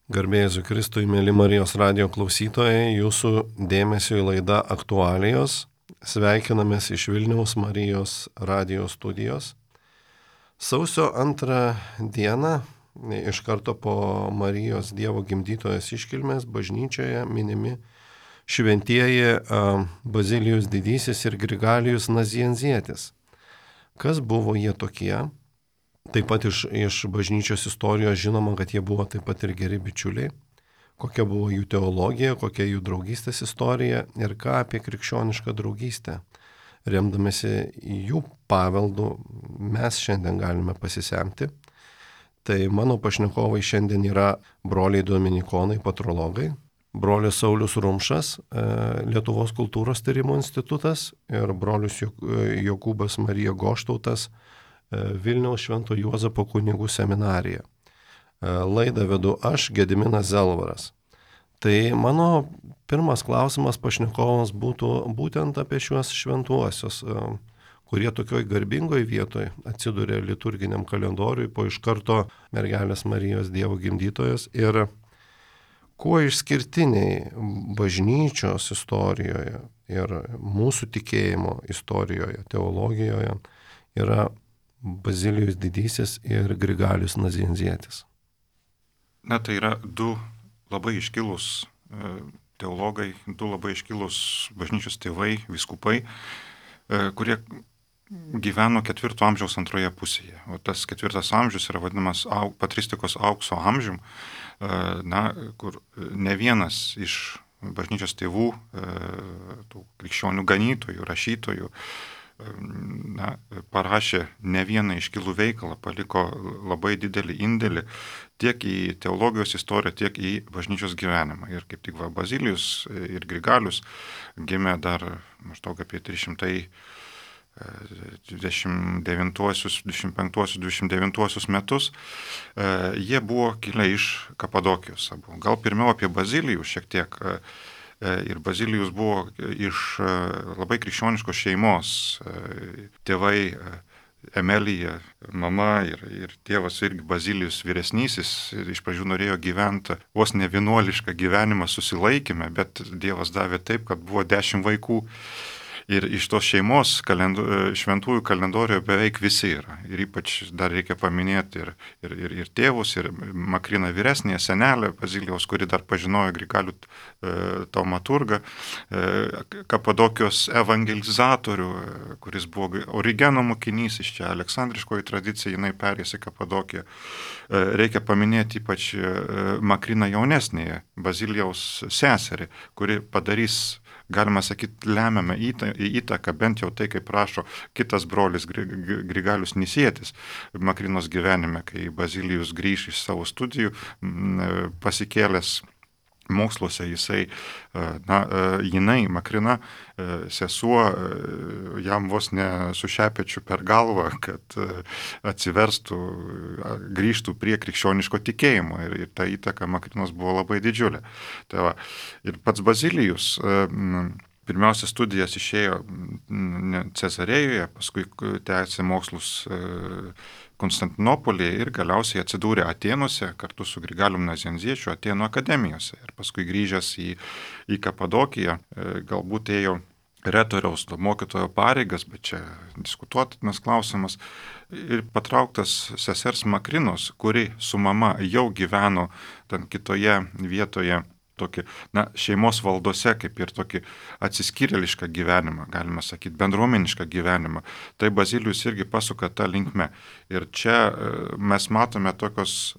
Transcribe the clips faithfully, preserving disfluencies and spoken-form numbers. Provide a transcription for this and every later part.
Garbė Jėzui Kristui, mėly Marijos radijo klausytojai, jūsų dėmesio į laidą Aktualijos. Sveikinamės iš Vilniaus Marijos radijo studijos. Sausio antrą dieną, iš karto po Marijos Dievo gimdytojos iškilmės, bažnyčioje minimi šventieji Bazilijus Didysis ir Grigalijus Nazianzietis. Kas buvo jie tokie? Taip pat iš, iš bažnyčios istorijos žinoma, kad jie buvo taip pat ir geri bičiuliai, kokia buvo jų teologija, kokia jų draugystės istorija ir ką apie krikščionišką draugystę. Remdamėsi jų paveldų mes šiandien galime pasisemti. Tai mano pašnekovai šiandien yra broliai dominikonai, patrologai, brolis Saulius Rumšas, Lietuvos kultūros tyrimo institutas ir brolius Jokūbas Marija Goštautas, Vilniaus Švento Juozapo kunigų seminarija. Laidą vedu aš, Gediminas Zelvaras. Tai mano pirmas klausimas pašnekovams būtų būtent apie šiuos šventuosius, kurie tokioj garbingoj vietoj atsidūrė liturginiam kalendoriui po iš karto mergelės Marijos Dievo gimdytojos ir kuo išskirtiniai bažnyčios istorijoje ir mūsų tikėjimo istorijoje, teologijoje yra Bazilijus Didysis ir Grigalijus Nazianzietis. Na, tai yra du labai iškilūs teologai, du labai iškilūs bažnyčios tėvai, vyskupai, kurie gyveno ketvirto amžiaus antroje pusėje. O tas ketvirtas amžius yra vadinamas au, patristikos aukso amžium, na, kur ne vienas iš bažnyčios tėvų, tų krikščionių ganytojų, rašytojų, na, parašė ne vieną iškilų veikalą, paliko labai didelį indėlį tiek į teologijos istoriją, tiek į bažnyčios gyvenimą. Ir kaip tik va, Bazilijus ir Grigalius gimė dar maždaug apie trys šimtai dvidešimt devintuosius, dvidešimt penktuosius, dvidešimt devintuosius metus. Jie buvo kilę iš Kapadokijos. Gal pirmiau apie Bazilijų šiek tiek. Ir Bazilijus buvo iš labai krikščioniškos šeimos. Tėvai Emelija, mama ir, ir tėvas irgi Bazilijus vyresnysis iš pradžių norėjo gyventi vos ne vienuolišką gyvenimą susilaikymę, bet Dievas davė taip, kad buvo dešimt vaikų. Ir iš tos šeimos kalendo, šventųjų kalendorijoje beveik visi yra. Ir ypač dar reikia paminėti ir, ir, ir, ir tėvus, ir Makriną vyresnėje, senelę Bazilijaus, kuri dar pažinojo Grigalių e, taumaturgą, e, Kapadokijos evangelizatorių, e, kuris buvo Origeno mokinys, iš čia aleksandriškoji tradicija, jinai perės į Kapadokiją. E, reikia paminėti ypač e, Makriną jaunesnėje, Bazilijaus seserį, kuri padarys, galima sakyti, lemiamą įtaką, bent jau tai, kaip rašo kitas brolis Grigalius Nisietis Makrinos gyvenime, kai Bazilijus grįž iš savo studijų, pasikėlęs moksluose, jisai, na, jinai, Makrina, sesuo, jam vos ne su šepečiu per galvą, kad atsiverstų, grįžtų prie krikščioniško tikėjimo. Ir, ir ta įtaka Makrinos buvo labai didžiulė. Tai va, ir pats Bazilijus pirmiausia studijas išėjo Cezarėjoje, paskui tęsė mokslus Konstantinopolyje ir galiausiai atsidūrė Atėnuose kartu su Grigalium Nazianziečiu Atėnų akademijose. Ir paskui grįžęs į, į Kapadokiją, galbūt ėjo retoriaus mokytojo pareigas, bet čia diskutuotinas klausimas, ir patrauktas sesers Makrinos, kuri su mama jau gyveno ten kitoje vietoje, tokį, na, šeimos valdose, kaip ir tokį atsiskyrėlišką gyvenimą, galima sakyti, bendruomenišką gyvenimą. Tai Bazilijus irgi pasuka tą linkmę. Ir čia mes matome tokios,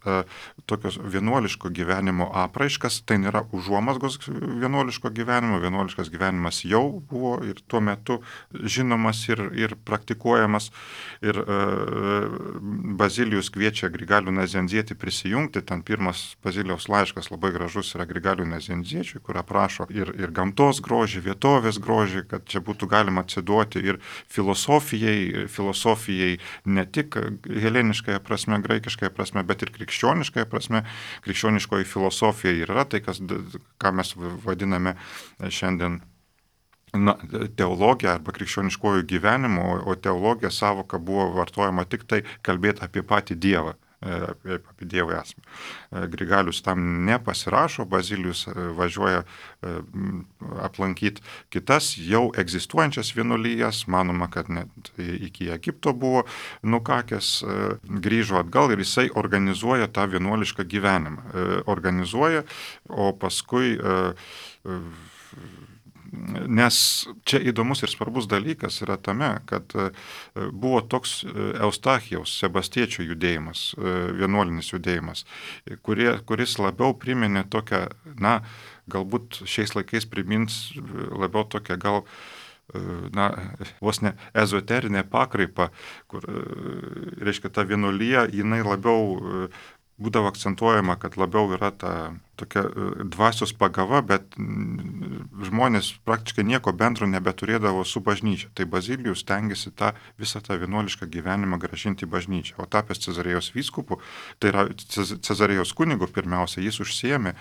tokios vienuoliško gyvenimo apraiškas, tai nėra užuomazgos vienuoliško gyvenimo, vienuoliškas gyvenimas jau buvo ir tuo metu žinomas ir, ir praktikuojamas. Ir Bazilijus kviečia Grigalių Nazianzietį prisijungti, ten pirmas Bazilijaus laiškas labai gražus yra Grigalių Nazianziečiui, kur aprašo ir, ir gamtos grožį, vietovės grožį, kad čia būtų galima atsiduoti ir filosofijai, filosofijai ne tik heleniškąją prasme, graikiškąją prasme, bet ir krikščioniškąją prasme. Krikščioniškoji filosofija yra tai, kas, ką mes vadiname šiandien na, teologija arba krikščioniškojų gyvenimo, o teologija savoka buvo vartojama tik tai kalbėti apie patį Dievą. apie, apie Dievo esmę. Grigalius tam nepasirašo, Bazilijus važiuoja aplankyti kitas jau egzistuojančias vienuolijas, manoma, kad net iki Egipto buvo nukakęs, grįžo atgal ir jisai organizuoja tą vienuolišką gyvenimą. Organizuoja, o paskui nes čia įdomus ir svarbus dalykas yra tame, kad buvo toks Eustachijaus, Sebastiečio judėjimas, vienuolinis judėjimas, kurie, kuris labiau priminė tokią, na, galbūt šiais laikais primins labiau tokią gal, na, vos ne ezoterinę pakraipą, kur, reiškia, ta vienuolija, jinai labiau būdavo akcentuojama, kad labiau yra ta tokia dvasios pagava, bet žmonės praktiškai nieko bendro nebeturėdavo su bažnyčia. Tai Bazilijus stengiasi tą visą tą vienuolišką gyvenimą grąžinti į bažnyčią. O tapęs Cezarėjos vyskupu, tai yra Cezarėjos kunigu pirmiausia, jis užsiėmė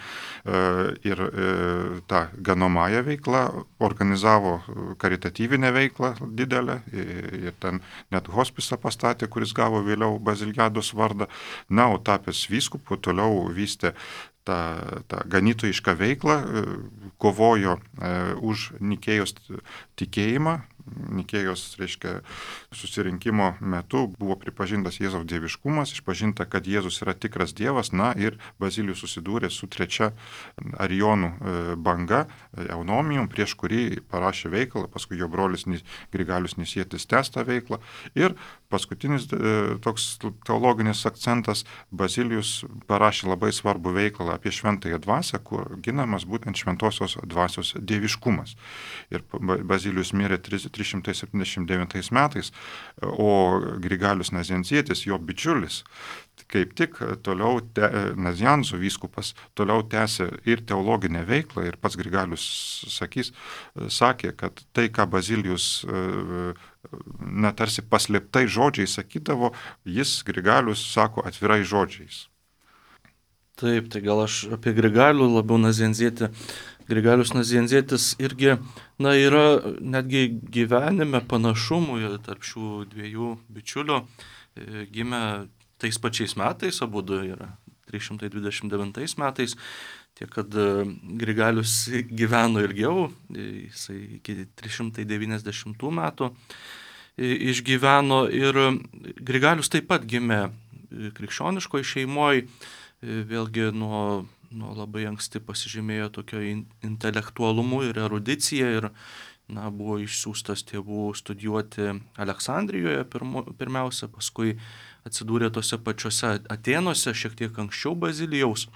ir tą ganomąją veiklą, organizavo karitatyvinę veiklą didelę ir ten net hospisą pastatė, kuris gavo vėliau Baziliados vardą. Na, o tapęs vyskupu toliau vystė tą, tą ganytojišką veiklą, kovojo už Nikėjos tikėjimą. Nikėjos, reiškia, susirinkimo metu buvo pripažintas Jėzaus dieviškumas, išpažinta, kad Jėzus yra tikras Dievas, na ir Bazilijus susidūrė su trečia arijonų banga, Eunomijum, prieš kurį parašė veikalą, paskui jo brolis Grigalius Nisietis tęs tą veiklą. Ir paskutinis toks teologinis akcentas, Bazilijus parašė labai svarbų veikalą apie šventąją dvasią, kur ginamas būtent šventosios dvasios dieviškumas. Ir Bazilijus mirė trys šimtai septyniasdešimt devintais metais, o Grigalius Nazianzietis, jo bičiulis, kaip tik toliau, te, Nazianzo vyskupas, toliau tęsė ir teologinę veiklą, ir pats Grigalius sakys, sakė, kad tai, ką Bazilijus na, tarsi paslėptai žodžiais sakydavo, jis Grigalius sako atvirai žodžiais. Taip, tai gal aš apie Grigalių labiau Nazianzietį. Grigalius Nazianzietis irgi, na, yra netgi gyvenime panašumų tarp šių dviejų bičiulių. Gimė tais pačiais metais, abudu yra trys šimtai dvidešimt devintais metais, tiek kad Grigalius gyveno ilgiau, jisai iki trys šimtai devyniasdešimtų metų išgyveno ir Grigalius taip pat gimė krikščioniškoje šeimoje, vėlgi nuo nuo labai anksti pasižymėjo tokio intelektualumu ir erudicija ir, na, buvo išsiųstas tėvų studijuoti Aleksandrijoje pirmu, pirmiausia, paskui atsidūrė tose pačiose Atėnuose, šiek tiek anksčiau Bazilijaus.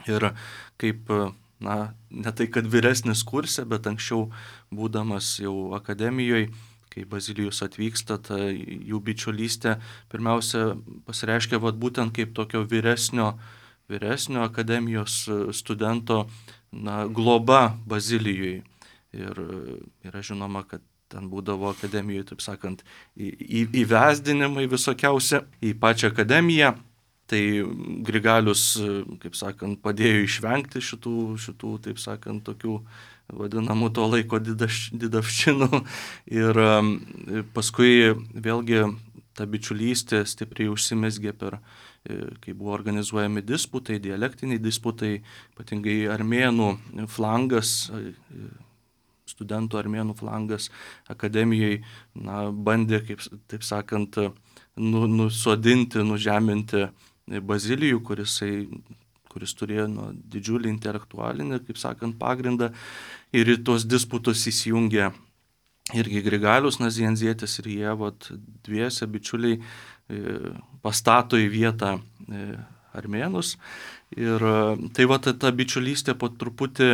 Ir kaip, na, ne tai kad vyresnis kurse, bet anksčiau būdamas jau akademijoje, kai Bazilijus atvyksta, ta jų bičiulystė pirmiausia pasireiškia vat, būtent kaip tokio vyresnio vyresnio akademijos studento, na, globa Bazilijui. Ir yra žinoma, kad ten būdavo akademijoje, taip sakant, į, į, įvesdinimai visokiausia į pačią akademiją. Tai Grigalius, kaip sakant, padėjo išvengti šitų, šitų taip sakant, tokių vadinamų to laiko didaš, didavščinų. Ir paskui vėlgi ta bičiulystė stipriai užsimezgė per, kai buvo organizuojami disputai, dialektiniai disputai, ypatingai armėnų flangas, studentų armėnų flangas akademijoje, na, bandė, kaip, taip sakant, nu, nusodinti, nužeminti Bazilijų, kuris, kuris turėjo nu, didžiulį intelektualinį, kaip sakant, pagrindą, ir į tuos disputus įsijungė irgi Grigalius Nazianzietis ir jie, vat, dviese bičiuliai pastato į vietą armėnus. Ir tai va ta, ta bičiulystė po truputį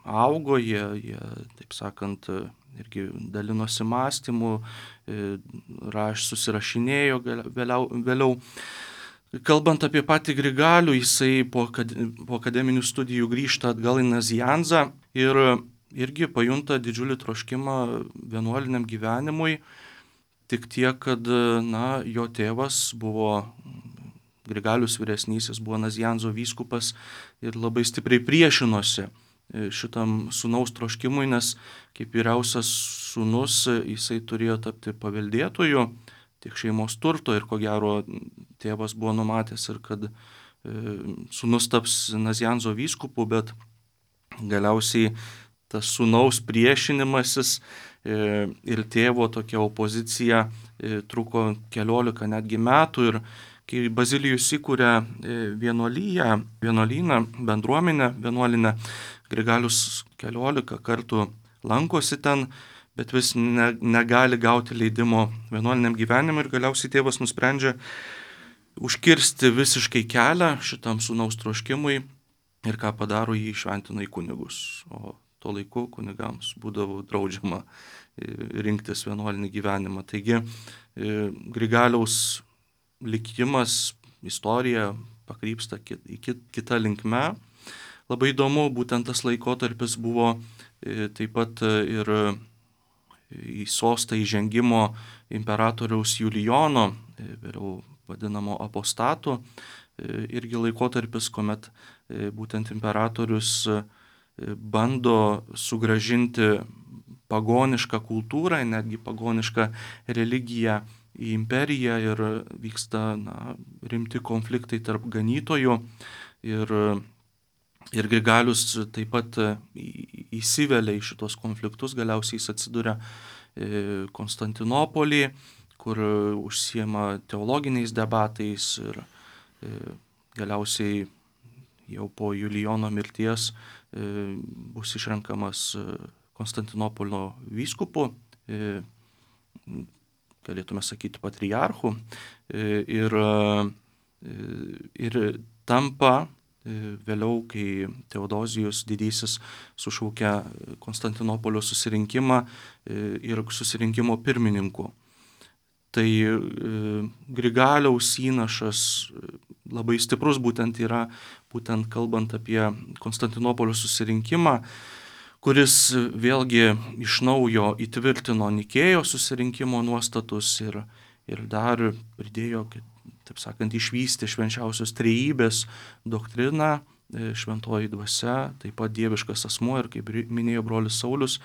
augo, jie, jie, taip sakant, irgi dalinosi mąstymu, raš, susirašinėjo vėliau. vėliau. Kalbant apie patį Grigalių, jisai po, po akademinių studijų grįžta atgal į Nazianzą ir irgi pajunta didžiulį troškimą vienuoliniam gyvenimui. Tik tiek, kad, na, jo tėvas buvo, Grigalius vyresnysis, buvo Nazianzo vyskupas ir labai stipriai priešinosi šitam sūnaus troškimui, nes kaip vyriausias sūnus jisai turėjo tapti paveldėtoju tiek šeimos turto ir ko gero tėvas buvo numatęs ir kad sūnus taps Nazianzo vyskupu, bet galiausiai tas sūnaus priešinimasis ir tėvo tokia opozicija truko keliolika netgi metų ir kai Bazilijus įkūrė vienuolyją, vienuolyną, bendruomenę vienuolinę, Grigalius keliolika kartų lankosi ten, bet vis ne, negali gauti leidimo vienuoliniam gyvenimui ir galiausiai tėvas nusprendžia užkirsti visiškai kelią šitam sūnaus troškimui ir ką padaro, jį šventina į kunigus. O tuo laiku kunigams būdavo draudžiama rinktis vienuolinį gyvenimą. Taigi Grigaliaus likimas, istorija pakrypsta į kitą linkmę. Labai įdomu, būtent tas laikotarpis buvo taip pat ir į sostą įžengimo imperatoriaus Julijono, vėliau vadinamo apostatu, irgi laikotarpis, kuomet būtent imperatorius bando sugrąžinti pagonišką kultūrą, netgi pagonišką religiją į imperiją ir vyksta na, rimti konfliktai tarp ganytojų ir Ir Grigalius taip pat įsivelia į šitos konfliktus, galiausiai jis atsiduria Konstantinopolį, kur užsiema teologiniais debatais ir galiausiai jau po Julijono mirties bus išrenkamas Konstantinopolio vyskupu, galėtume sakyti patriarchu, ir, ir tampa vėliau, kai Teodozijus didysis sušaukia Konstantinopolio susirinkimą ir susirinkimo pirmininku. Tai Grigaliaus įnašas labai stiprus būtent yra, būtent kalbant apie Konstantinopolio susirinkimą, kuris vėlgi iš naujo įtvirtino Nikėjos susirinkimo nuostatus ir, ir dar pridėjo, taip sakant, išvystė švenčiausios trejybės doktriną, šventoji dvasia, taip pat dieviškas asmuo ir, kaip minėjo brolis Saulius,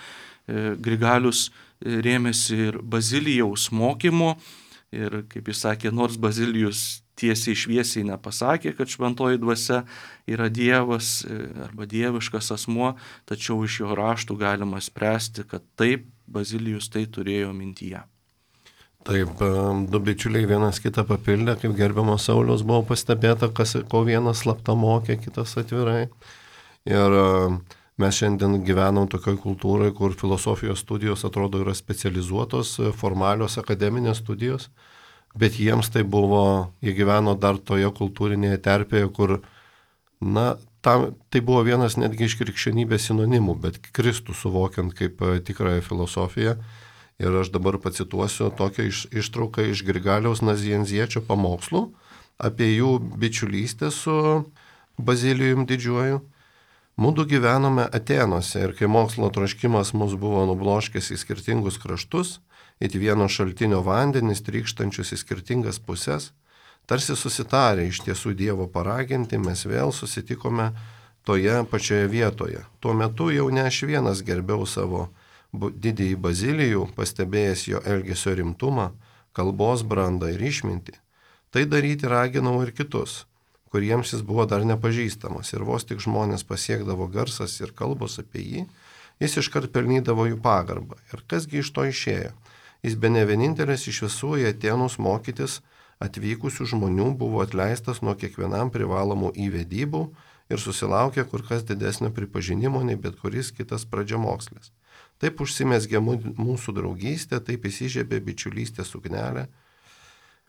Grigalius rėmėsi ir Bazilijaus mokymu ir, kaip jis sakė, nors Bazilijus tiesiai šviesiai nepasakė, kad šventoji dvasia yra dievas arba dieviškas asmuo, tačiau iš jo raštų galima spręsti, kad taip Bazilijus tai turėjo mintyje. Taip, du bičiuliai vienas kitą papildė, kaip gerbiamo Sauliaus buvo pastebėta, kas, ko vienas slapta mokė, kitas atvirai. Ir mes šiandien gyvenam tokioj kultūrai, kur filosofijos studijos atrodo yra specializuotos, formalios akademinės studijos, bet jiems tai buvo, jie gyveno dar toje kultūrinėje terpėje, kur, na, tam, tai buvo vienas netgi iš krikščionybės sinonimų, bet Kristų suvokiant kaip tikrąją filosofiją. Ir aš dabar pacituosiu tokią iš, ištrauką iš Grigaliaus Nazianziečio pamokslų apie jų bičiulystę su Bazilijum didžiuoju. Mudu gyvenome Atenuose ir kai mokslo troškimas mus buvo nubloškęs į skirtingus kraštus, it vieno šaltinio vandenis trykštančius į skirtingas puses, tarsi susitarę iš tiesų Dievo paraginti, mes vėl susitikome toje pačioje vietoje. Tuo metu jau ne aš vienas gerbiau savo didįjį Bazilijų, pastebėjęs jo elgesio rimtumą, kalbos brandą ir išmintį. Tai daryti raginau ir kitus, kuriems jis buvo dar nepažįstamas ir vos tik žmonės pasiekdavo garsas ir kalbos apie jį, jis iškart pelnydavo jų pagarbą. Ir kasgi iš to išėjo? Jis bene vienintelis iš visų į Atėnus mokytis atvykusių žmonių buvo atleistas nuo kiekvienam privalomų įvedybų ir susilaukė kur kas didesnio pripažinimo nei bet kuris kitas pradžiamokslis. Taip užsimezgė mūsų draugystė, taip įsižiebė bičiulystė suknelė.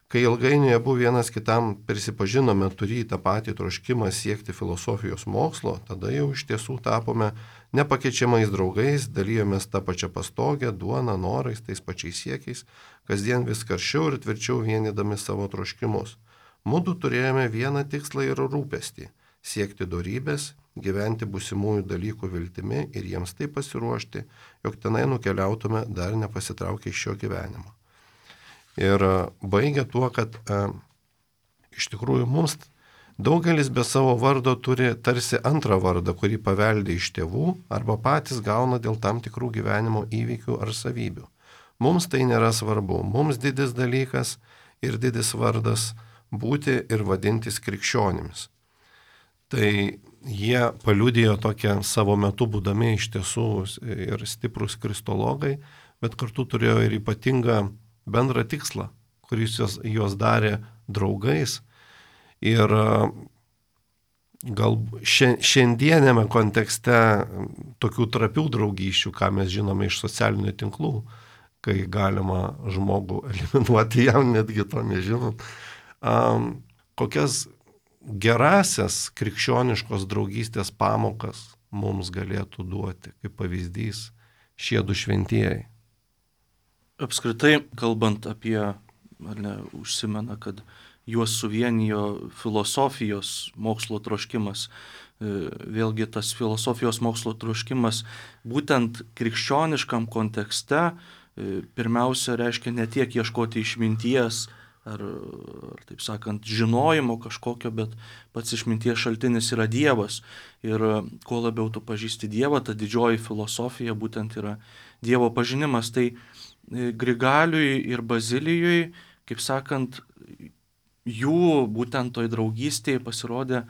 Kai ilgainiui abu vienas kitam prisipažinome turį tą patį troškimą siekti filosofijos mokslo, tada jau iš tiesų tapome nepakeičiamais draugais, dalijomės tą pačią pastogę, duoną, norais, tais pačiais siekiais, kasdien vis karščiau ir tvirčiau vienydami savo troškimus. Mudu turėjome vieną tikslą ir rūpestį - siekti dorybės, gyventi būsimųjų dalykų viltimi ir jiems taip pasiruošti, jog tenai nukeliautume dar nepasitraukę iš šio gyvenimo. Ir baigia tuo, kad e, iš tikrųjų mums daugelis be savo vardo turi tarsi antrą vardą, kurį paveldė iš tėvų arba patys gauna dėl tam tikrų gyvenimo įvykių ar savybių. Mums tai nėra svarbu. Mums didis dalykas ir didis vardas būti ir vadintis krikščionimis. Tai jie paliudijo tokią savo metu būdami iš tiesų ir stiprus kristologai, bet kartu turėjo ir ypatingą bendrą tikslą, kuris juos, juos darė draugais. Ir gal šiandienėme kontekste tokių trapių draugysčių, ką mes žinome iš socialinių tinklų, kai galima žmogų eliminuoti, jam netgi to nežinant, um, kokias gerasias krikščioniškos draugystės pamokas mums galėtų duoti, kaip pavyzdys, šie du šventieji. Apskritai, kalbant apie, ar ne, užsimena, kad juos suvienijo filosofijos mokslo troškimas. Vėlgi tas filosofijos mokslo troškimas būtent krikščioniškam kontekste pirmiausia reiškia ne tiek ieškoti išminties ar, ar taip sakant, žinojimo kažkokio, bet pats išminties šaltinis yra Dievas. Ir kuo labiau tu pažįsti Dievą, ta didžioji filosofija būtent yra Dievo pažinimas. Tai Grigaliui ir Bazilijui, kaip sakant, jų būtent toj draugystėje pasirodė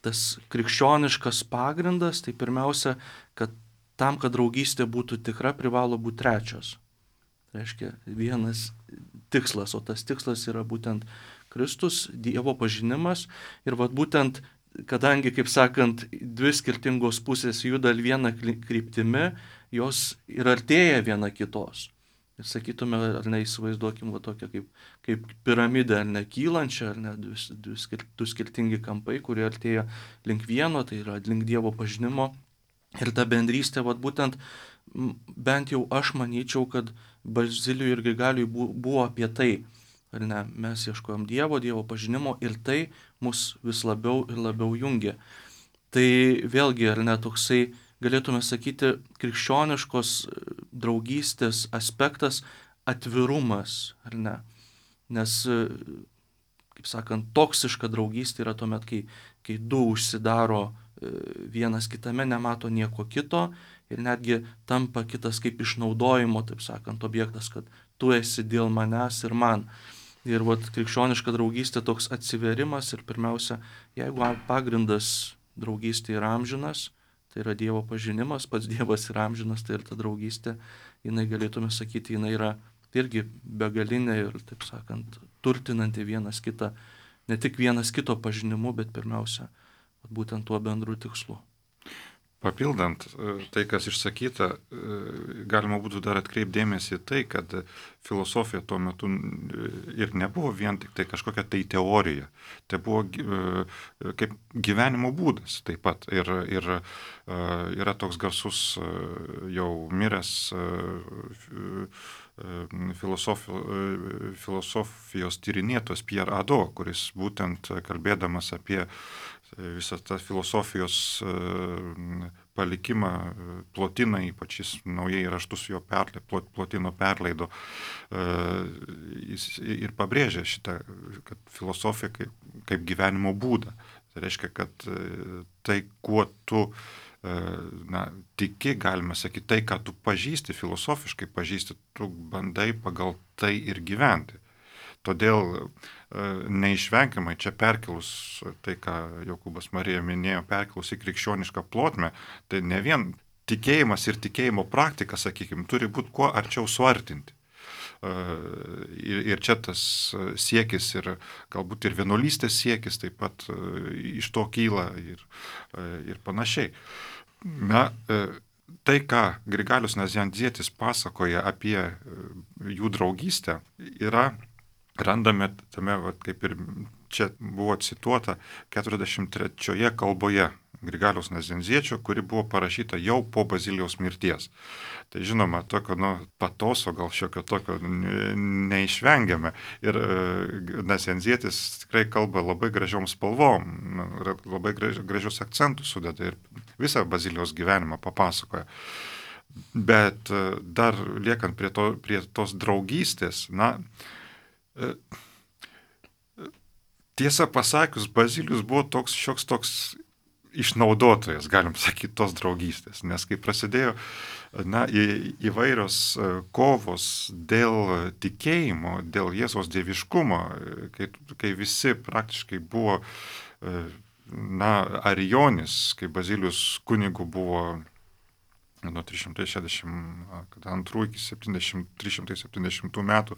tas krikščioniškas pagrindas. Tai pirmiausia, kad tam, kad draugystė būtų tikra, privalo būti trečias. Tai reiškia vienas tikslas, o tas tikslas yra būtent Kristus, Dievo pažinimas. Ir vat būtent, kadangi, kaip sakant, dvi skirtingos pusės juda vieną kryptimi, jos ir artėja viena kitos. Ir sakytume, ar ne, įsivaizduokim va tokią kaip, kaip piramidę, ar ne, kylančią, ar ne, du, du, du skirtingi kampai, kurie artėja link vieno, tai yra link Dievo pažinimo. Ir ta bendrystė, va būtent, bent jau aš manyčiau, kad Bazilijui ir Grigaliui buvo apie tai, ar ne, mes ieškojom Dievo, Dievo pažinimo ir tai mus vis labiau ir labiau jungia. Tai vėlgi, ar ne, toksai, galėtume sakyti, krikščioniškos draugystės aspektas atvirumas, ar ne? Nes, kaip sakant, toksiška draugystė yra tuomet, kai, kai du užsidaro vienas kitame, nemato nieko kito ir netgi tampa kitas kaip išnaudojimo, taip sakant, objektas, kad tu esi dėl manęs ir man. Ir vat krikščioniška draugystė toks atsiverimas ir pirmiausia, jeigu pagrindas draugystė yra amžinas, tai yra Dievo pažinimas, pats Dievas yra amžinas, tai ir ta draugystė, jinai galėtume sakyti, jinai yra irgi begalinė ir, taip sakant, turtinanti vienas kitą, ne tik vienas kito pažinimu, bet pirmiausia, būtent tuo bendru tikslu. Papildant tai, kas išsakyta, galima būtų dar atkreipdėmėsi tai, kad filosofija tuo metu ir nebuvo vien tik tai kažkokia tai teorija, tai buvo kaip gyvenimo būdas taip pat. Ir, ir yra toks garsus jau miręs filosofijos tyrinėtojas Pierre Hadot, kuris būtent kalbėdamas apie visą tą filosofijos palikimą Plotiną, ypač jis naujai raštus jo perle, Plotino perleido, jis ir pabrėžė šitą, kad filosofija kaip, kaip gyvenimo būdą. Tai reiškia, kad tai, kuo tu na, tiki, galime sakyti, tai, ką tu pažįsti, filosofiškai pažįsti, tu bandai pagal tai ir gyventi. Todėl neišvengiamai čia perkelus tai, ką Jokūbas Marija minėjo, perkelus į krikščionišką plotmę, tai ne vien tikėjimas ir tikėjimo praktika, sakykime, turi būti kuo arčiau suartinti. Ir, ir čia tas siekis ir galbūt ir vienuolystės siekis taip pat iš to kyla ir, ir panašiai. Na, tai, ką Grigalius Nazianzietis pasakoja apie jų draugystę, yra randame tame, va, kaip ir čia buvo cituota, keturiasdešimt trečioje kalboje Grigaliaus Nazianziečio, kuri buvo parašyta jau po Bazilijaus mirties. Tai žinoma, tokio nu, patoso, gal šiokio tokio neišvengiame. Ir Nazianzietis tikrai kalba labai gražiom spalvom, labai gražius akcentus sudeda ir visą Bazilijaus gyvenimą papasakoja. Bet dar liekant prie, to, prie tos draugystės, na, tiesą pasakius, Bazilijus buvo toks šioks toks išnaudotojas, galim sakyti, tos draugystės. Nes kai prasidėjo na, į, įvairios kovos dėl tikėjimo, dėl Jėzaus dieviškumo, kai, kai visi praktiškai buvo na, arijonis, kai Bazilijus kunigu buvo nuo trys šimtai šešiasdešimt antrų iki trys šimtai septyniasdešimtų metų,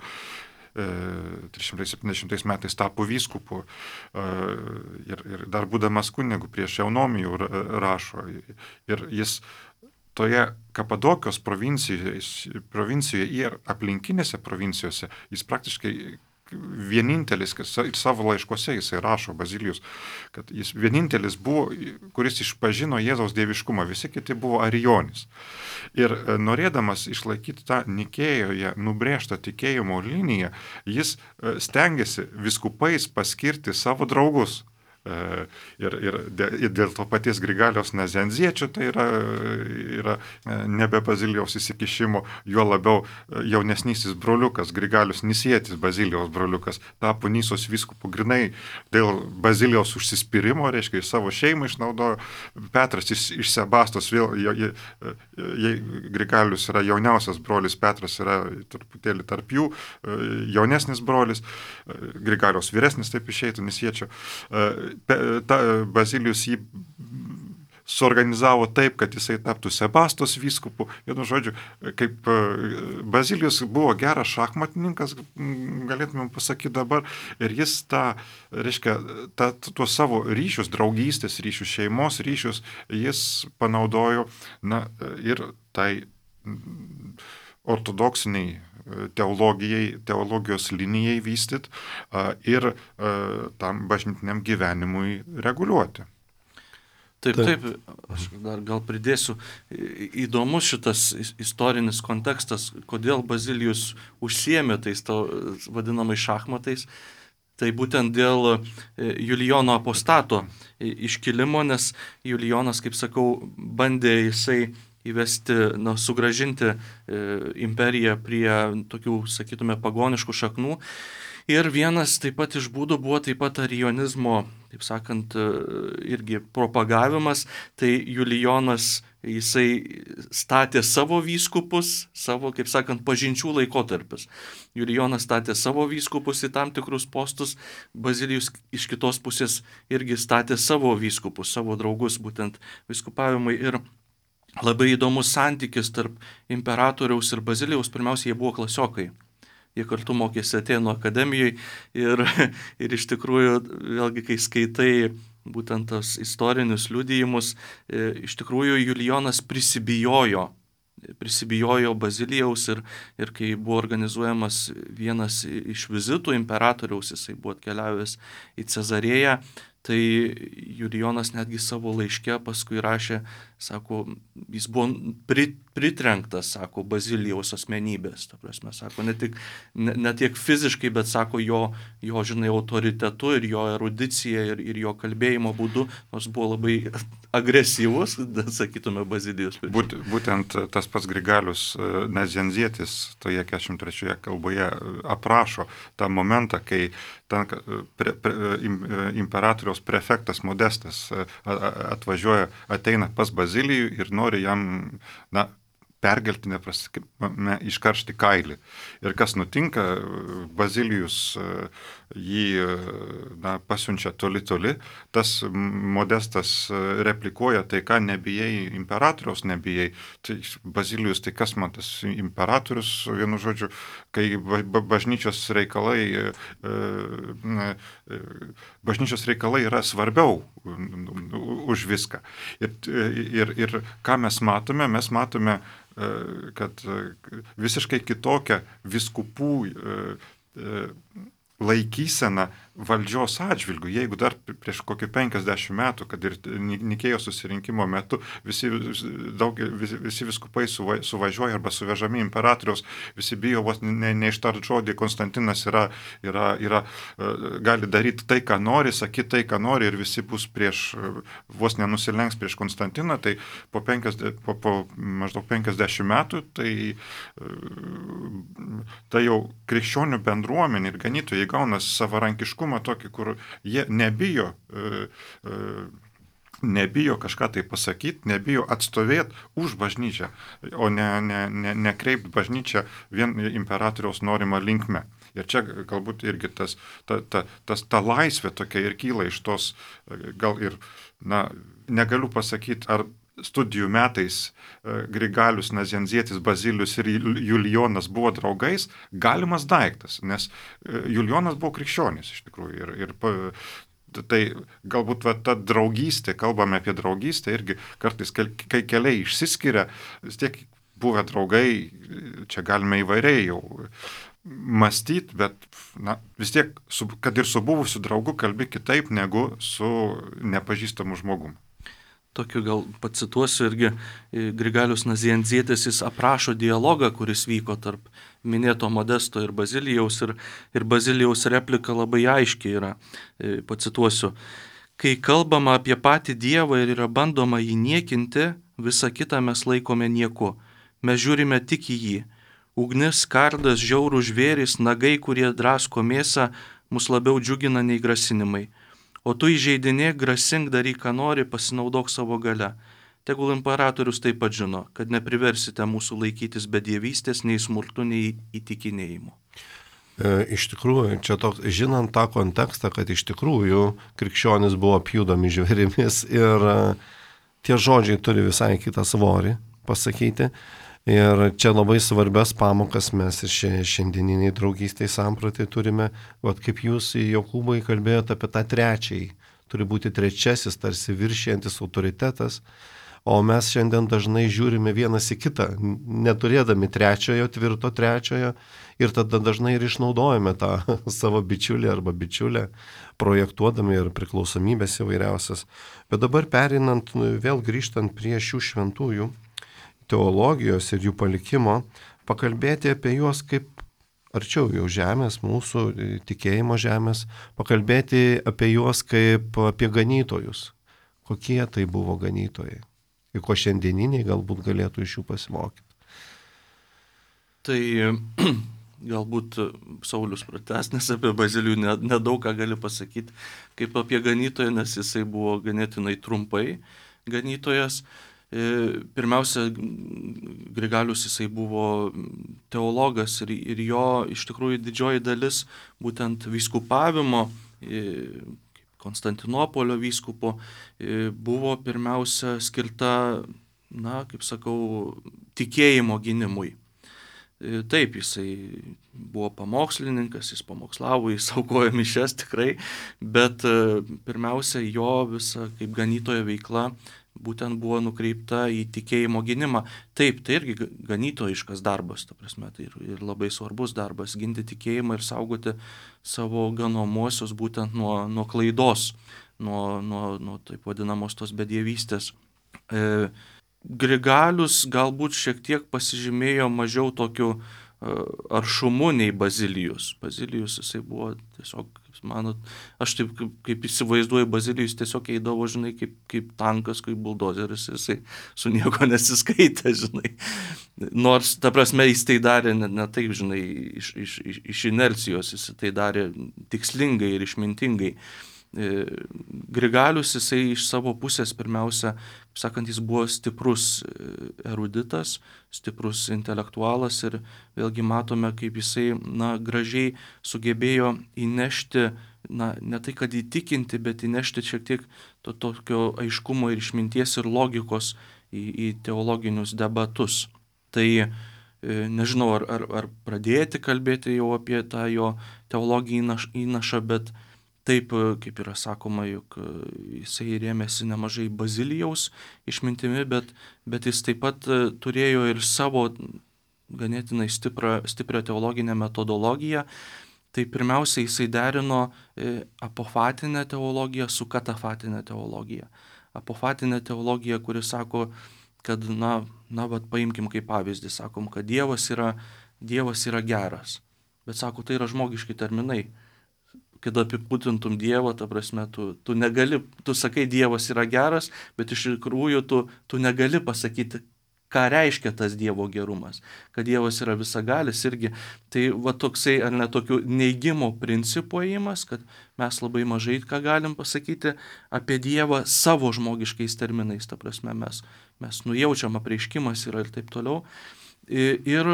trys šimtai septyniasdešimtais metais tapo vyskupu ir, ir dar būdamas kunigu prieš Eunomijų rašo. Ir jis toje Kapadokijos provincijoje, provincijoje ir aplinkinėse provincijose jis praktiškai vienintelis, ir savo laiškose jisai rašo, Bazilijus, kad jis vienintelis buvo, kuris išpažino Jėzaus dieviškumą, visi kiti buvo arijonis. Ir norėdamas išlaikyti tą Nikėjoje nubrėžtą tikėjimo liniją, jis stengiasi viskupais paskirti savo draugus. Ir, ir, ir dėl to paties Grigaliaus Nazianziečio tai yra, yra nebe Bazilijaus įsikišimo, juo labiau jaunesnysis broliukas, Grigalius Nisietis, Bazilijaus broliukas, tapo Nysos vyskupu grinai dėl Bazilijaus užsispyrimo, reiškia, savo šeimą išnaudojo. Petras iš, iš Sebastos, vėl, je, je, Grigalius yra jauniausias brolis, Petras yra truputėlį tarp jų, jaunesnis brolis, Grigaliaus vyresnis, taip išeitų, Nisiečio. Ta, Bazilijus jį suorganizavo taip, kad jisai taptų Sebastos vyskupu. Vienu žodžiu, kaip Bazilijus buvo geras šachmatininkas, galėtumėm pasakyti dabar, ir jis tą, reiškia, tą, tuos savo ryšius, draugystės ryšius, šeimos ryšius, jis panaudojo, na, ir tai ortodoksiniai teologijai, teologijos linijai vystyti ir tam bažnytiniam gyvenimui reguliuoti. Taip, taip, aš dar gal pridėsiu, įdomus šitas istorinis kontekstas, kodėl Bazilijus užsiėmė tais to vadinamai šachmatais, tai būtent dėl Julijono apostato iškilimo, nes Julijonas, kaip sakau, bandė jisai įvesti, na, sugražinti e, imperiją prie tokių, sakytume, pagoniškų šaknų. Ir vienas taip pat iš būdų buvo taip pat arijonizmo, taip sakant, irgi propagavimas. Tai Julijonas, jisai statė savo vyskupus, savo, kaip sakant, pažinčių laikotarpis. Julijonas statė savo vyskupus į tam tikrus postus, Bazilijus iš kitos pusės irgi statė savo vyskupus, savo draugus būtent vyskupavimai. Ir labai įdomus santykis tarp imperatoriaus ir Bazilijaus. Pirmiausia, jie buvo klasiokai. Jie kartu mokėsi Atėnų akademijoje ir, ir iš tikrųjų, vėlgi, kai skaitai būtent tos istorinius liudijimus, iš tikrųjų Julijonas prisibijojo, prisibijojo Bazilijaus ir, ir kai buvo organizuojamas vienas iš vizitų imperatoriaus, jisai buvo atkeliavęs į Cezarėją, tai Julijonas netgi savo laiške paskui rašė, sako, jis buvo pri, pritrenktas, sako, Bazilijaus asmenybės. Ta prasme, sako, ne, tik, ne, ne tiek fiziškai, bet, sako, jo, jo žinai, autoritetu ir jo erudicija ir, ir jo kalbėjimo būdu, nors buvo labai agresyvus, sakytume, Bazilijus. Būt, būtent tas pats Grigalius Nazianzietis toje keturiasdešimt trečioje kalboje aprašo tą momentą, kai ten pre, pre, imperatoriaus prefektas Modestas atvažiuoja, ateina pas Bazilijų ir nori jam, na, pergeltinė prasme iškaršti kailį. Ir kas nutinka, Bazilijus jį, na, pasiunčia toli toli, tas Modestas replikuoja, tai ką, nebijai imperatoriaus, nebijai. Tai Bazilijus, tai kas man tas imperatorius, vienu žodžiu, kai bažnyčios reikalai, bažnyčios reikalai yra svarbiau už viską. Ir, ir, ir ką mes matome, mes matome, kad visiškai kitokia vyskupų laikysena valdžios atžvilgių. Jeigu dar prieš kokį penkiasdešimt metų, kad ir Nikėjos susirinkimo metu visi, daug, visi, visi viskupai suva, suvažiuoja arba suvežami imperatoriaus, visi bijo vos ne, neištart žodį, Konstantinas yra, yra, yra, gali daryti tai, ką nori, sakyti tai, ką nori ir visi bus prieš, vos nenusilenks prieš Konstantiną, tai po, penkiasdešimt, po, po maždaug penkiasdešimt metų, tai, tai jau krikščionių bendruomenė ir ganytojai gauna savarankiškumą tokį, kur jie nebijo e, e, nebijo kažką tai pasakyti, nebijo atstovėti už bažnyčią, o ne, ne, ne, nekreipti bažnyčią vien imperatoriaus norimą linkme. Ir čia galbūt irgi tas, ta, ta, tas, ta laisvė tokia ir kyla iš tos, gal ir, na, negaliu pasakyti, ar studijų metais Grigalius Nazianzietis, Bazilijus ir Julijonas buvo draugais, galimas daiktas, nes Julijonas buvo krikščionis iš tikrųjų. Ir, ir tai galbūt va, ta draugystė, kalbame apie draugystę, irgi kartais, kai keliai išsiskiria, vis tiek buvę draugai, čia galime įvairiai jau mąstyti, bet na, vis tiek, su, kad ir su buvusiu draugu kalbi kitaip negu su nepažįstamu žmogumu. Tokiu gal pacituosiu irgi Grigalius Nazianzietis, jis aprašo dialogą, kuris vyko tarp minėto Modesto ir Bazilijaus, ir, ir Bazilijaus replika labai aiškiai yra, pacituosiu. Kai kalbama apie patį Dievą ir yra bandoma jį niekinti, visą kitą mes laikome nieku. Mes žiūrime tik į jį. Ugnis, kardas, žiaurų žvėris, nagai, kurie drasko mėsą, mus labiau džiugina nei grasinimai. O tu įžeidinėk, grasink, daryk, ką nori, pasinaudok savo gale. Tegul imperatorius taip pat žino, kad nepriversite mūsų laikytis bedievystės, nei smurtu, nei įtikinėjimu. E, iš tikrųjų, čia toks, žinant tą kontekstą, kad iš tikrųjų krikščionis buvo pjudomi žvėrimis ir e, tie žodžiai turi visai kitą svorį pasakyti. Ir čia labai svarbias pamokas mes ir šiandieniniai draugystėj sampratai turime, vat kaip jūs, Jokūbai, kalbėjote apie tą trečiąjį, turi būti trečiasis, tarsi viršijantis autoritetas, o mes šiandien dažnai žiūrime vienas į kitą, neturėdami trečiojo, tvirto trečiojo, ir tada dažnai ir išnaudojame tą savo bičiulį arba bičiulę, projektuodami ir priklausomybės įvairiausias. Bet dabar perinant, vėl grįžtant prie šių šventųjų, teologijos ir jų palikimo, pakalbėti apie juos kaip arčiau jau žemės, mūsų tikėjimo žemės, pakalbėti apie juos kaip apie ganytojus. Kokie tai buvo ganytojai? Ir ko šiandieniniai galbūt galėtų iš jų pasimokyti. Tai galbūt Saulius pratęsnis apie Bazilijų nedaug ką gali pasakyti kaip apie ganytoją, nes jisai buvo ganėtinai trumpai ganytojas. Pirmiausia, Grigalius jisai buvo teologas ir, ir jo iš tikrųjų didžioji dalis būtent vyskupavimo, Konstantinopolio vyskupo, buvo pirmiausia skirta, na, kaip sakau, tikėjimo gynimui. Taip, jisai buvo pamokslininkas, jis pamokslavo, jis aukojo mišias tikrai, bet pirmiausia, jo visa kaip ganytojo veikla būtent buvo nukreipta į tikėjimo gynimą. Taip, tai irgi ganytojiškas darbas, ta prasme, tai ir, ir labai svarbus darbas, ginti tikėjimą ir saugoti savo ganomuosius būtent nuo, nuo klaidos, nuo, nuo, nuo taip vadinamos tos bedievystės. E, Grigalius galbūt šiek tiek pasižymėjo mažiau tokiu e, aršumu nei Bazilijus. Bazilijus jisai buvo tiesiog, kaip manot, aš taip kaip, kaip įsivaizduoju, Bazilijus tiesiog eidavo, žinai, kaip, kaip tankas, kaip buldozeris, jisai su nieko nesiskaitė, žinai. Nors, ta prasme, jis tai darė ne, ne taip, žinai, iš, iš, iš, iš inercijos, jis tai darė tikslingai ir išmintingai. Grigalius jisai iš savo pusės pirmiausia, kaip sakant, jis buvo stiprus eruditas, stiprus intelektualas ir vėlgi matome, kaip jisai, na, gražiai sugebėjo įnešti, na, ne tai kad įtikinti, bet įnešti šiek tiek to tokio aiškumo ir išminties ir logikos į, į teologinius debatus. Tai nežinau, ar, ar, ar pradėti kalbėti jau apie tą jo teologinį įnašą, bet taip, kaip yra sakoma, juk jisai rėmėsi nemažai Bazilijaus išmintimi, bet, bet jis taip pat turėjo ir savo ganėtinai stiprią, stiprią teologinę metodologiją. Tai pirmiausia, jisai derino apofatinę teologiją su katafatinę teologiją. Apofatinė teologija, kuri sako, kad, na, na, vat paimkim kaip pavyzdį, sakom, kad Dievas yra, Dievas yra geras. Bet sako, tai yra žmogiški terminai. Kad apibūdintum Dievą, ta prasme, tu, tu negali, tu sakai, Dievas yra geras, bet iš tikrųjų tu, tu negali pasakyti, ką reiškia tas Dievo gerumas, kad Dievas yra visagalis irgi. Tai va toksai, ar ne, tokių neigimo principų ėjimas, kad mes labai mažai ką galim pasakyti apie Dievą savo žmogiškais terminais, ta prasme mes, mes nujaučiam, apreiškimas yra ir taip toliau. Ir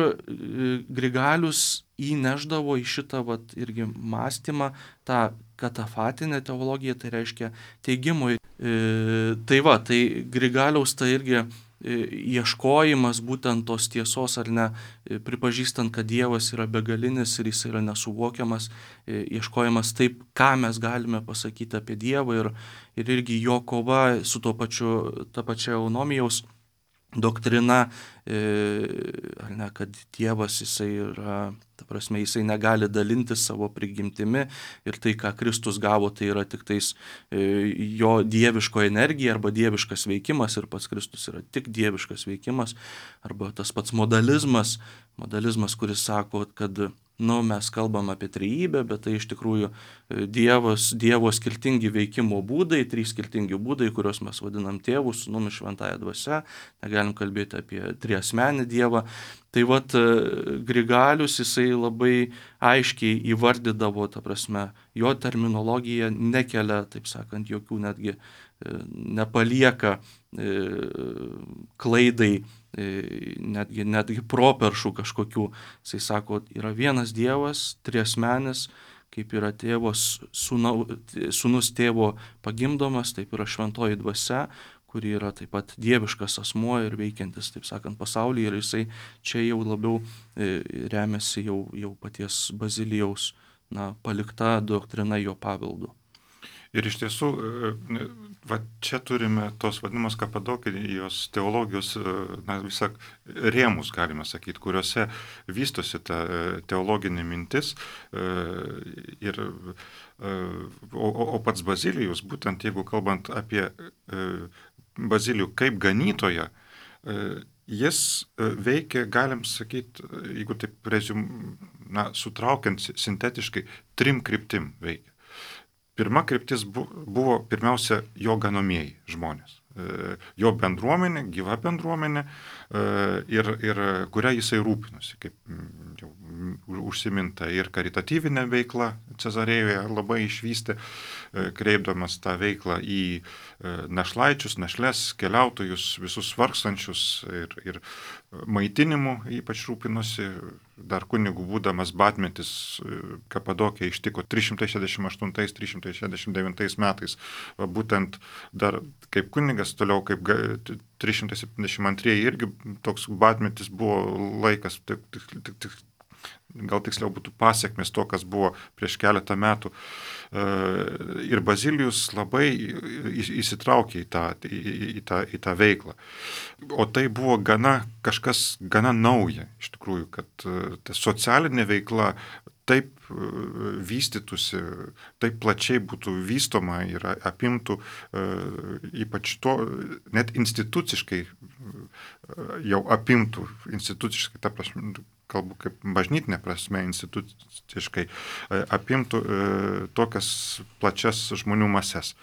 Grigalius įneždavo į šitą vat, irgi mąstymą tą katafatinę teologiją, tai reiškia teigimui. Tai va, tai Grigaliaus tai irgi ieškojimas būtent tos tiesos ar ne, pripažįstant, kad Dievas yra begalinis ir jis yra nesuvokiamas, ieškojimas taip, ką mes galime pasakyti apie Dievą ir, ir irgi jo kova su to pačiu, ta pačia eunomijaus doktrina, ar ne, kad Dievas jisai yra, ta prasme, jisai negali dalintis savo prigimtimi ir tai, ką Kristus gavo, tai yra tik tais jo dieviško energija arba dieviškas veikimas ir pats Kristus yra tik dieviškas veikimas, arba tas pats modalizmas, modalizmas, kuris sako, kad nu, mes kalbam apie trejybę, bet tai iš tikrųjų Dievas, Dievo skirtingi veikimo būdai, trys skirtingi būdai, kuriuos mes vadinam Tėvu, Sūnumi, Šventąja Dvasia, negalim kalbėti apie triasmenį Dievą. Tai vat Grigalius jisai labai aiškiai įvardydavo, ta prasme, jo terminologija nekelia, taip sakant, jokių netgi nepalieka klaidai, netgi, netgi properšų kažkokių. Jisai sako, yra vienas Dievas, triasmenis, kaip yra tėvos, sūnau, sūnus tėvo pagimdomas, taip yra šventoji dvasia, kuri yra taip pat dieviškas asmuo ir veikiantis, taip sakant, pasaulyje. Ir jisai čia jau labiau remiasi jau, jau paties Bazilijaus na, palikta doktrina jo paveldu. Ir iš tiesų, va, čia turime tos vadinamos Kapadokijos teologijos, na, visą rėmus, galime sakyti, kuriuose vystosi ta teologinė mintis. Ir, o, o pats Bazilijus, būtent jeigu kalbant apie Bazilijų kaip ganytoją, jis veikia, galim sakyti, jeigu taip rezum, na, sutraukiant sintetiškai, trim kryptim veikia. Pirma kryptis buvo pirmiausia jo ganomieji žmonės, jo bendruomenė, gyva bendruomenė ir, ir kurią jisai rūpinosi, kaip jau užsiminta, ir karitatyvinė veikla Cezarėjoje labai išvystė, kreipdamas tą veiklą į našlaičius, našles, keliautojus, visus vargstančius ir, ir maitinimu ypač rūpinosi. Dar kunigų būdamas Batmetis Kapadokiją ištiko trys šimtai šešiasdešimt aštuntais trys šimtai šešiasdešimt devintais metais. Būtent dar kaip kunigas, toliau kaip trys šimtai septyniasdešimt antrieji irgi toks Batmetis buvo laikas, tik, tik, tik, tik, gal tiksliau būtų pasiekmes to, kas buvo prieš keletą metų. Ir Bazilijus labai įsitraukė į tą, į, į tą, į tą veiklą. O tai buvo gana, kažkas gana nauja, iš tikrųjų, kad ta socialinė veikla taip vystytųsi, taip plačiai būtų vystoma ir apimtų, ypač to, net instituciškai jau apimtų, instituciškai, ta prasme, kalbu kaip bažnytinė prasme, instituciškai apimtų tokias plačias žmonių mases.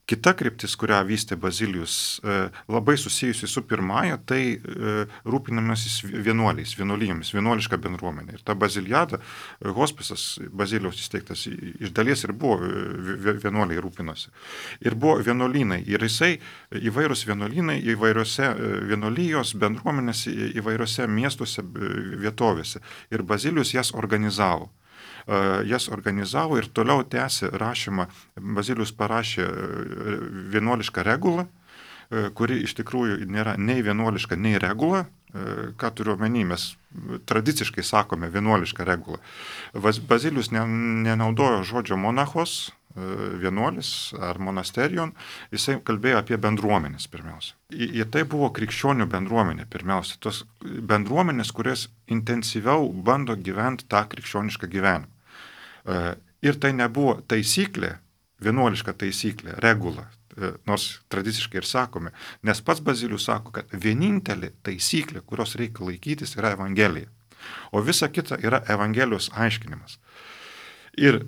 Kita kryptis, kurią vystė Bazilijus, labai susijusi su pirmąja, tai rūpinamasis vienuoliais, vienuolijomis, vienuoliška bendruomenė. Ir ta Bazilijada, hospisas Bazilijaus įsteigtas, iš dalies ir buvo vienuoliai rūpinosi. Ir buvo vienuolynai. Ir jisai įvairūs vienuolynai, įvairiose vienuolijos bendruomenės, įvairiose miestuose, vietovėse. Ir Bazilijus jas organizavo. Jas organizavo ir toliau tęsė rašymą. Bazilijus parašė vienuolišką regulą, kuri iš tikrųjų nėra nei vienuoliška, nei regula. Ką turiu omeny, mes tradiciškai sakome vienuolišką regulą. Bazilijus nenaudojo žodžio monachos, vienuolis ar monasterion, jisai kalbėjo apie bendruomenės pirmiausia. Ir tai buvo krikščionių bendruomenė pirmiausia. Tos bendruomenės, kurios intensyviau bando gyventi tą krikščionišką gyvenimą. Ir tai nebuvo taisyklė, vienuoliška taisyklė, regula, nors tradiciškai ir sakome, nes pats Bazilijus sako, kad vienintelė taisyklė, kurios reikia laikytis, yra Evangelija, o visa kita yra Evangelijos aiškinimas. Ir,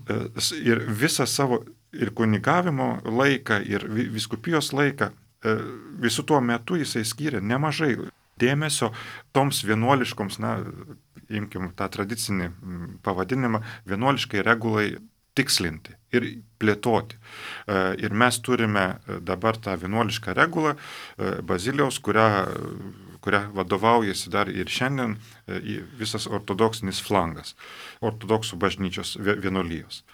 ir visą savo ir kunigavimo laiką, ir vyskupijos laiką, visų tuo metu jisai skyrė nemažai dėmesio toms vienuoliškoms, na, imkim tą tradicinį pavadinimą, vienuoliškai regulai tikslinti ir plėtoti. Ir mes turime dabar tą vienuolišką regulą Bazilijaus, kurią, kurią vadovaujasi dar ir šiandien visas ortodoksinis flangas, ortodoksų bažnyčios vienuolijos.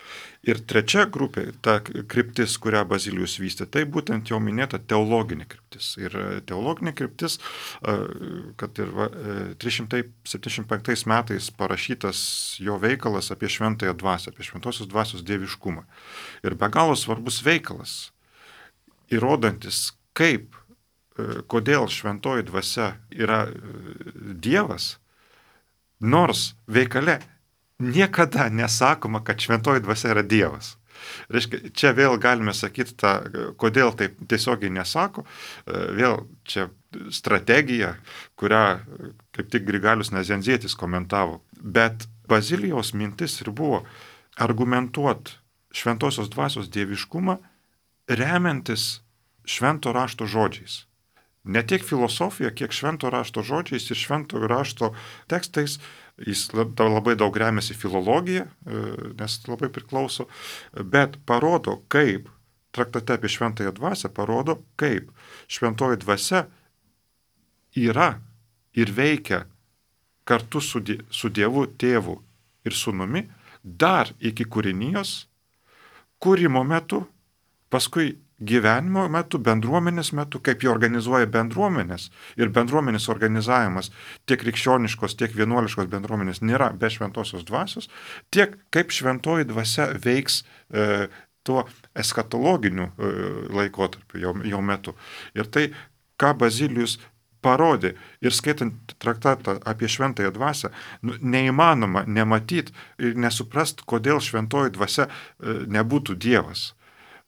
Ir trečia grupė, ta kryptis, kurią Bazilijus vystė, tai būtent jau minėta teologinė kryptis. Ir teologinė kryptis, kad ir trys šimtai septyniasdešimt penktais metais parašytas jo veikalas apie šventąją dvasią, apie šventosios dvasios dieviškumą. Ir be galo svarbus veikalas, įrodantis, kaip, kodėl šventoji dvasia yra Dievas, nors veikale niekada nesakoma, kad šventoji dvasia yra Dievas. Reiškia, čia vėl galime sakyti, tą, kodėl taip tiesiogiai nesako, vėl čia strategija, kurią kaip tik Grigalius Nazianzietis komentavo. Bet Bazilijaus mintis ir buvo argumentuoti šventosios dvasios dieviškumą remiantis švento rašto žodžiais. Ne tiek filosofija, kiek švento rašto žodžiais ir švento rašto tekstais. Jis labai daug remiasi filologiją, nes labai priklauso, bet parodo, kaip, traktate apie šventąją dvasią, parodo, kaip šventoji dvasia yra ir veikia kartu su, die, su Dievu, Tėvu ir Sūnumi dar iki kūrinijos, kūrimo metu, paskui gyvenimo metu, bendruomenės metu, kaip jie organizuoja bendruomenės ir bendruomenės organizavimas tiek krikščioniškos, tiek vienuoliškos bendruomenės nėra be šventosios dvasios, tiek kaip šventoji dvasia veiks e, tuo eskatologiniu e, laikotarpiu jo, jo metu. Ir tai, ką Bazilijus parodė ir skaitant traktatą apie šventąją dvasią, nu, neįmanoma nematyti ir nesuprast, kodėl šventoji dvasia e, nebūtų Dievas.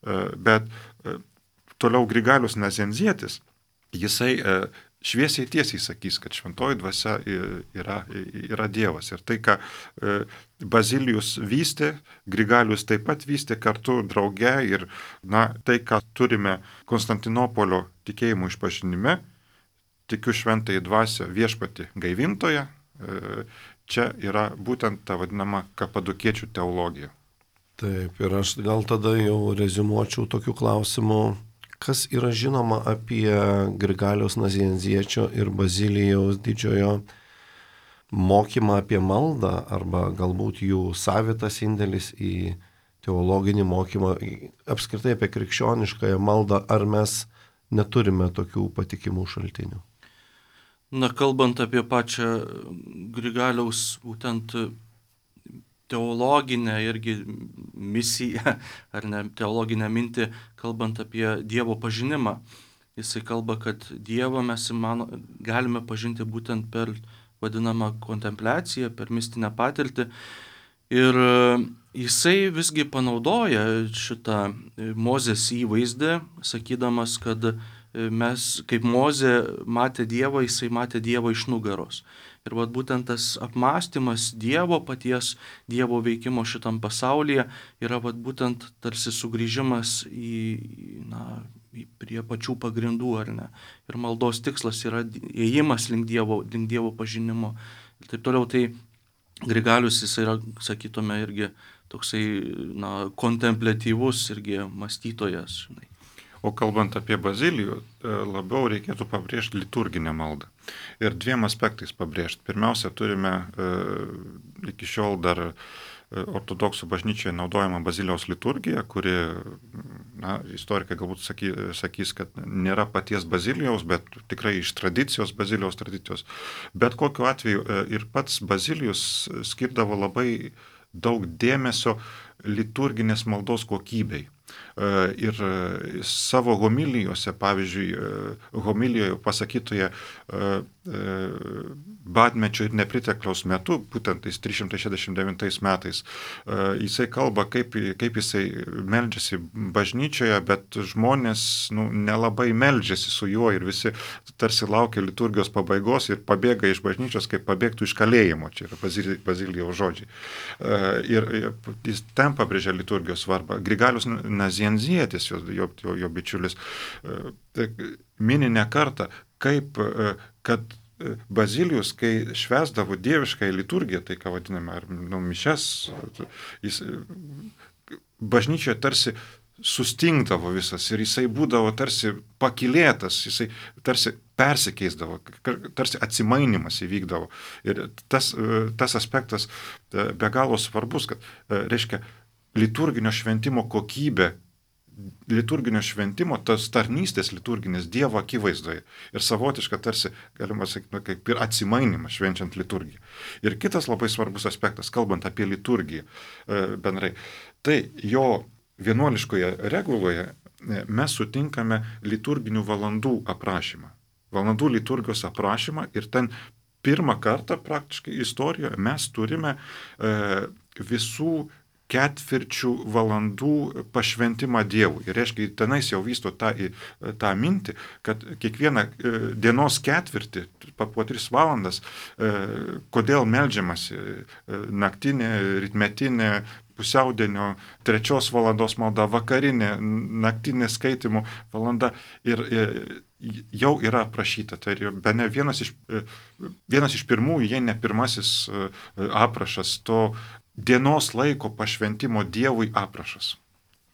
Bet toliau Grigalius Nazianzietis, jisai šviesiai tiesiai sakys, kad šventoji dvasia yra, yra Dievas. Ir tai, ką Bazilijus vystė, Grigalius taip pat vystė kartu drauge ir na, tai, ką turime Konstantinopolio tikėjimo išpažinime, tikiu šventąją dvasią viešpatį gaivintoje, čia yra būtent ta vadinama kapadokiečių teologija. Taip, ir aš gal tada jau reziumuočiau tokių klausimų, kas yra žinoma apie Grigaliaus Nazianziečio ir Bazilijaus didžiojo mokymą apie maldą, arba galbūt jų savitas indėlis į teologinį mokymą, apskritai apie krikščioniškąją maldą, ar mes neturime tokių patikimų šaltinių? Na, kalbant apie pačią Grigaliaus būtent teologinę irgi misiją, ar ne, teologinę mintį, kalbant apie Dievo pažinimą. Jisai kalba, kad Dievą mes įmano, galime pažinti būtent per vadinamą kontempliaciją, per mistinę patirtį. Ir jisai visgi panaudoja šitą Mozės įvaizdį, sakydamas, kad mes, kaip Mozė matė Dievą, jisai matė Dievą iš nugaros. Ir vat būtent tas apmąstymas Dievo paties, Dievo veikimo šitam pasaulyje yra vat būtent tarsi sugrįžimas į, na, į prie pačių pagrindų, ar ne. Ir maldos tikslas yra ėjimas link Dievo, link Dievo pažinimo. Ir taip toliau, tai Grigalius jis yra, sakytume, irgi toksai, na, kontempliatyvus irgi mąstytojas, žinai. O kalbant apie Bazilijų, labiau reikėtų pabrėžti liturginę maldą. Ir dviem aspektais pabrėžti. Pirmiausia, turime e, iki šiol dar ortodoksų bažnyčioje naudojama Bazilijaus liturgija, kuri, na, istorikai galbūt saky, sakys, kad nėra paties Bazilijaus, bet tikrai iš tradicijos, Bazilijaus tradicijos. Bet kokiu atveju ir pats Bazilijus skirdavo labai daug dėmesio liturginės maldos kokybei. Ir savo homilijose, pavyzdžiui, homilijoje pasakytoje badmečio ir nepritekliaus metu, būtent tais trys šimtai šešiasdešimt devintais metais, jisai kalba, kaip, kaip jisai meldžiasi bažnyčioje, bet žmonės nu, nelabai meldžiasi su juo ir visi tarsi laukia liturgijos pabaigos ir pabėga iš bažnyčios, kaip pabėgtų iš kalėjimo, čia yra Bazilijaus žodžiai. Ir, ir jis ten pabrėžia liturgijos svarbą. Grigalius Nazianzietis, jo, jo, jo bičiulis, mini ne kartą, kaip, kad Bazilijus, kai švęsdavo dievišką liturgiją, tai ką vadiname, ar nu, mišes, jis bažnyčioje tarsi sustingdavo visas ir jisai būdavo tarsi pakilėtas, jisai tarsi persikeisdavo, tarsi atsimainimas įvykdavo. Ir tas, tas aspektas be galo svarbus, kad, reiškia, liturginio šventimo kokybė, liturginio šventimo, tas tarnystės liturginės Dievo akivaizdoje ir savotiška tarsi, galima sakyti, kaip ir atsimainimas švenčiant liturgiją. Ir kitas labai svarbus aspektas, kalbant apie liturgiją bendrai, tai jo vienuoliškoje reguloje mes sutinkame liturginių valandų aprašymą. Valandų liturgijos aprašymą ir ten pirmą kartą praktiškai istorijoje mes turime e, visų ketvirčių valandų pašventimą Dievui. Ir reiškia, tenais jau vysto tą, tą mintį, kad kiekvieną dienos ketvirtį, po tris valandas, kodėl meldžiamasi naktinė, rytmetinė, pusiaudienio, trečios valandos malda, vakarinė, naktinė skaitimų valanda ir, ir jau yra aprašyta. Tai bene vienas iš, vienas iš pirmųjų, jei ne pirmasis aprašas to dienos laiko pašventimo Dievui aprašas.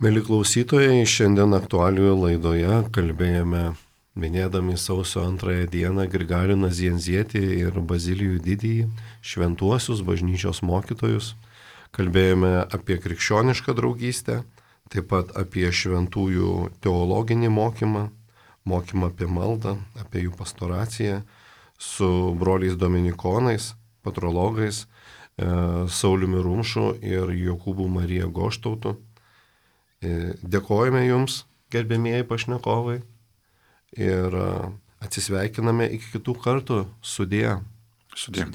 Mėly klausytojai, šiandien aktualijų laidoje kalbėjome, minėdami sausio antrąją dieną, Grigalių Nazianzietį ir Bazilijų Didįjį, šventuosius bažnyčios mokytojus. Kalbėjome apie krikščionišką draugystę, taip pat apie šventųjų teologinį mokymą, mokymą apie maldą, apie jų pastoraciją su broliais dominikonais, patrologais, Sauliumi Rumšu ir Jokūbu Marija Goštautu. Dėkojame Jums, gerbėmieji pašnekovai, ir atsisveikiname iki kitų kartų. Sudie. Sudie.